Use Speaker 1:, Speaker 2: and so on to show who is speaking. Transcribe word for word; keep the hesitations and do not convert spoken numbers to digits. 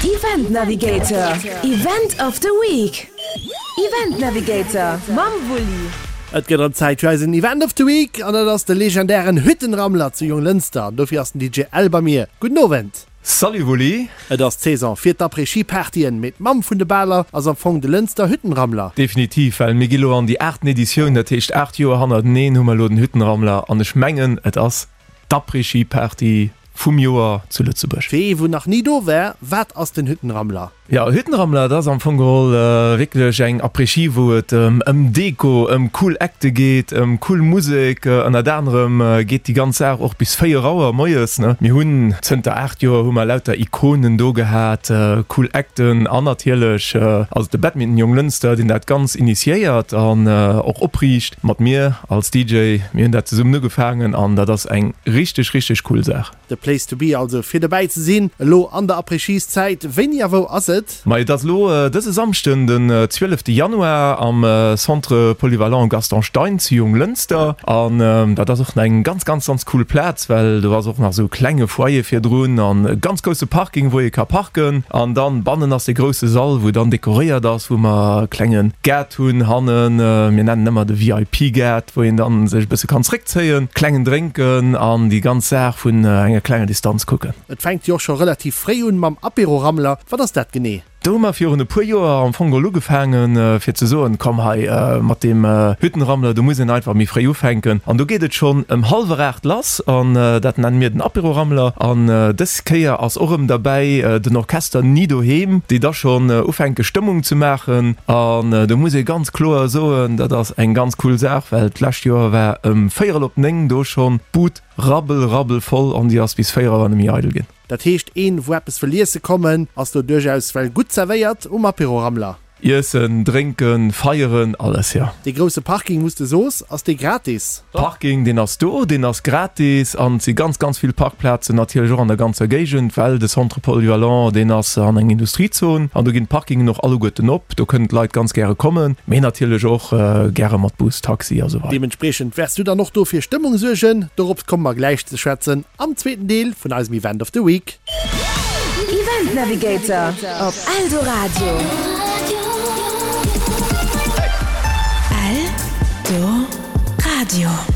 Speaker 1: Event Navigator, Event of the Week. Event Navigator mam Wulli.
Speaker 2: Et gëtt erëm Zäit fir eisen Event of the Week an dat ass de legendären Hüttenrammler zu Jonglënster. An dofir ass den D J L bei mir. Gudden Owend.
Speaker 3: Salut Wulli.
Speaker 2: Et ass d'Saison fir d'Après-Ski-Partyen, mee d'Mamm vun de Baler ass am Fong de Lënster Hüttenrammler.
Speaker 3: Definitiv, well mir gi lo an déi aachten Editioun, dat heescht aacht Joer hannerteneen hu mer elo den Hüttenrammler an ech mengen et ass d'Après-Ski-Party vum Joer zu Lëtzebuerg.
Speaker 2: Fir ee wou nach ni do war, wat ass den Hüttenrammler?
Speaker 3: Jo, Hüttenrammler, dat ass am Fong geholl wierklech eng Après-Ski, wou et ëm Deko, ëm cool Acte geet, ëm cool Musek. Ënnert anerem geet déi ganz Saach och bis véier Auer moies, ne. Mir hunn zënter aacht Joer hu mer lauter Ikonen do gehat, cool Acten an natierlech ass et de Badminton Jonglënster, deen dat Ganz initiéiert an och opriicht mat mir als D J. Mir hunn dat zesummen ugefaangen an dat ass eng richteg, richteg cool Saach.
Speaker 2: The place to be also fir dobäi ze sinn elo an der Après-Skis-Zäit. Wéini a wou ass et?
Speaker 3: Ma et ass elo dëse Samschden, den zwielefte Januar am Centre Polyvalent Gaston Stein zu Jonglënster. An dat ass och eng ganz, ganz, ganz cool Plaz, well do ass och nach esou e klenge Foyer virdrun an e ganz grousse Parking, wou ee ka parken. An dann bannen ass dee grousse Sall, wou dann dekoréiert ass, wou mer e klenge Gaart hunn hannen, mir nennen ëmmer de V I P-Gaart, wou een dann sech e bësse kann zréckzéien, klengen drénken an déi ganz Saach vun enger klenger Distanz kucken.
Speaker 2: Et fänkt jo och scho relativ fréi un mam Apéro-Rammler. Wat ass dat genee?
Speaker 3: Do hu mer virun e puer Joer am Fong geholl ugefaangen, fir ze soen, komm hei mat deem Hüttenrammler, do muss een einfach méi fréi ufänken. An do geet et schonn ëm hallwer aacht lass an dat nenne mir den Apéro-Rammler. An dës Kéier ass och erëm derbäi den Orchester Ni Doheem, déi da schonn ufänke Stëmmung ze maachen. An do muss ee ganz kloer soen, dat ass eng ganz cool Saach, well d'lescht Joer war ëm véierel op néng do schonn d'Bud rabbel rabbel voll an déi ass bis véier Auer net méi eidel ginn.
Speaker 2: Dat heescht een wou eppes wëll iesse kommen ass do duerchaus well gutt zerwéiert um Apéro Rammler.
Speaker 3: Iessen, drénken, feieren, alles jo.
Speaker 2: Dee grousse Parking wous de soos, ass dee gratis?
Speaker 3: Parking deen ass do, deen ass gratis an et si ganz ganz vill Parkplazen natierlech och an der ganzer Géigend, well de Centre polyvalent deen ass an eng Industriezon an do ginn d'Parkingen och alleguerten op. Do kënnen d'Leit ganz gäre kommen, mee natierlech och gäre mat Bus, Taxi a sou weider.
Speaker 2: Deementspriechend wäers du dann och do fir Stëmmung suergen. Dorops komme mer gläich ze schwätzen am zweeten Deel vun eisem Event of the Week.
Speaker 1: Event Navigator op Eldoradio. Eldoradio.